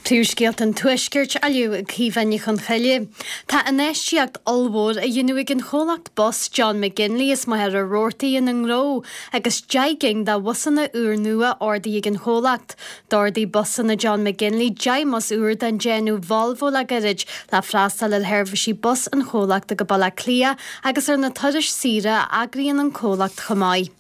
Príomhscéalta an Tuaiscirt á léamh ag Caoimhe Ní Chonchoille. Tá infheistíocht ollmhór á dhéanamh ag an chomhlacht bus John McGinley as Machaire Rabhartaigh ina ngnó agus 10 gcinn de bhusanna úrnua ordaithe ag an chomhlacht. D'ordaigh Busanna John McGinley 10 mbus úr den déanamh Volvo le gairid le freastal ar sheirbhísí bus an chomhlachta go Baile Átha Cliath agus ar na turais saoire a eagraíonn an comhlacht chomh maith.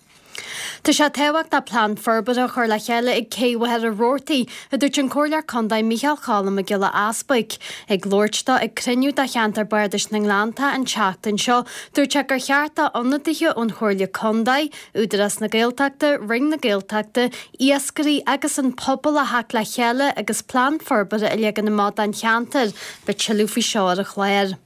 Tá sé tábhachtach plean forbartha a chur le chéile ag Cé Mhachaire Rabhartaigh, a dúirt an Comhairleoir Contae Micheál Cholm Mac Giolla Easbuig. Ag labhairt dó ag cruinniú de cheantar Bardais na nGleanntach an tseachtain seo, dúirt sé gur cheart do ionadaithe ón Chomhairle Contae, Údarás na Gaeltachta, Roinn na Gaeltachta, iascairí agus an pobal a theacht le chéile agus plean forbartha a leagan amach don cheantar. Beidh tuilleadh faoi seo ar an chlár.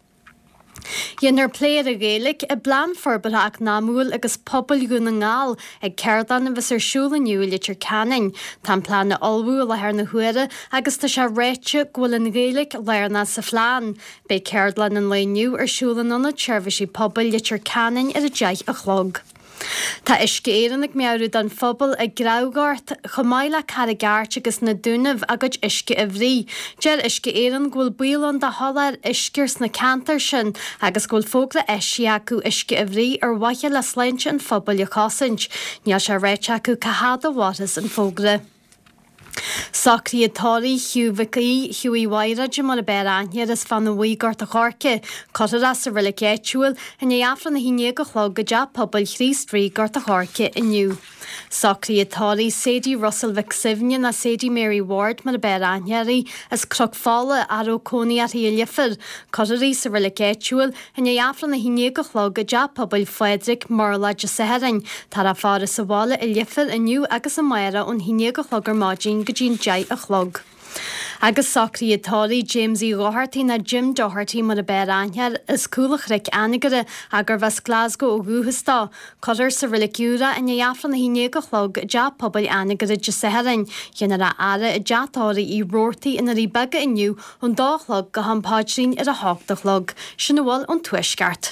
Déanfar plé ar an Ghaeilge i bPlean Forbartha Eacnamúil agus Pobail Dhún na nGall ag ceardlann a bheas ar siúl inniu i Leitir Ceanainn. Tá an plean á ullmhú i láthair na huaire agus tá sé ráite go bhfuil an Ghaeilge lárnach sa phlean. Beidh ceardlann an lae inniu ar siúl in Ionad Seirbhísí Pobail Leitir Ceanainn ar 10 a chlog. Tá Uisce Éireann ag meabhrú don phobal i gCreamhghort, chomh maith le Carraig Airt agus na Dúnaibh, a gcuid uisce a bhruith. Deir Uisce Éireann go bhfuil baol ann do sholáthar uisce sna ceantair sin agus go bhfuil fógra eisithe acu uisce a bhruith ar mhaithe le sláinte an phobail a chosaint. Níl sé ráite acu cá fhad a mhairfeas an fógra. Socruithe tórraimh Hugh Mhic Aoidh, Hughie Mhaghráide mar ab fhearr aithne air as Fána Bhuí, Gort a' Choirce. Cuirfear é sa reilig áitiúil i ndiaidh Aifreann a 11 a chlog i dTeach Pobail Chríost Rí, Gort a' Choirce inniu. Socruithe tórraimh Sadie Russell Mhic Suibhne nó Sadie Mary Ward mar ab fhearr aithne uirthi, as Cnoc Fola, a raibh cónaí uirthi i Leifear. Cuirfear í sa reilig áitiúil I ndiaidh Aifreann 11 a chlog i dTeach Pobail Phádraig, Murlach Dé Sathairn. Táthar á faire sa bhaile i Leifear inniu agus amárach ón 11 a chlog ar maidin go dtí an 10 a chlog. Agus socruithe tórraimh James Uí Dhochartaigh nó Jim Doherty mar ab fhearr aithne air, as Cúl an Chnoic Anagaire ach gurbh as Glasgow ó dhúchas dó. Cuirfear sa Reilig Úr é i ndiaidh Aifreann 11 a chlog i dTeach Pobail Anagaire Dé Sathairn. Déanfar a fhaire i dTeach Tórraimh Uí Robhartaigh i nDoirí Beaga inniu ón dó a chlog go ham paidrín ar a hocht a chlog. Sin a bhfuil ón Tuaisceart.